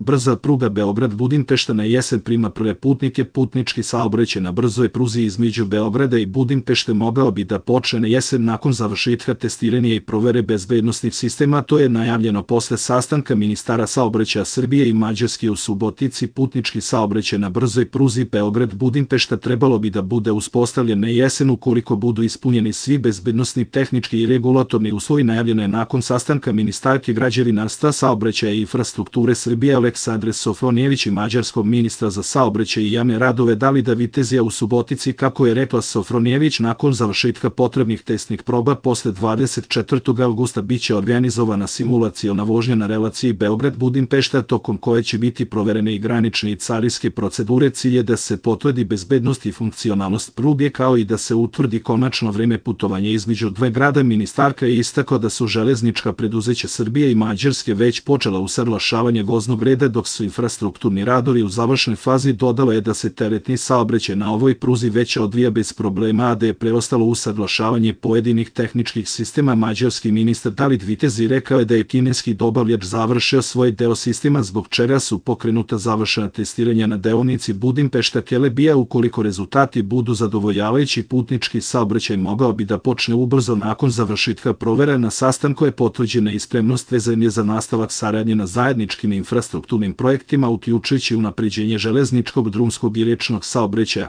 Brza pruga Beograd-Budimpešta na jesen prima prve putnike. Putnički saobraćaj na brzoj pruzi između Beograda i Budimpešte mogao bi da počne na jesen nakon završetka testiranja i provere bezbednosnih sistema. To je najavljeno posle sastanka ministara saobraćaja Srbije i Mađarske u Subotici. Putnički saobraćaj na brzoj pruzi Beograd-Budimpešta trebalo bi da bude uspostavljen na jesen ukoliko budu ispunjeni svi bezbednosni, tehnički i regulatorni uslovi. Najavljeno je nakon sastanka ministarke građevinarstva, saobraćaja i infrastrukture Srbije Aleksandre Sofronijević i mađarskog ministra za saobraćaj i javne radove Davida Vitezija u Subotici. Kako je rekla Sofronijević, nakon završetka potrebnih testnih proba posle 24. avgusta biće organizovana simulaciona vožnja na relaciji Beograd-Budimpešta, tokom koje će biti proverene i granične i carinske procedure. Cilj je da se potvrdi bezbednost i funkcionalnost pruge, kao i da se utvrdi konačno vreme putovanja između dve grada. Ministarka je istakla da su železnička preduzeća Srbije i Mađarske već počela usaglašavanje voznog reda, dok su infrastrukturni radovi u završnoj fazi. Dodala je da se teretni saobraćaj na ovoj pruzi već odvija bez problema, a da je preostalo usaglašavanje pojedinih tehničkih sistema. Mađarski ministar David Vitezi rekao je da je kineski dobavljač završio svoj deo sistema, zbog čega su pokrenuta završena testiranja na deonici Budimpešta-Kelebija. Ukoliko rezultati budu zadovoljavajući, putnički saobraćaj mogao bi da počne ubrzo nakon završetka provera. Na sastanku je potvrđena i spremnost vezanja za nastavak saradnje na zajedničkim infrastrukturnim projektima, uključujući unapređenje železničkog, drumskog i rečnog saobraćaja.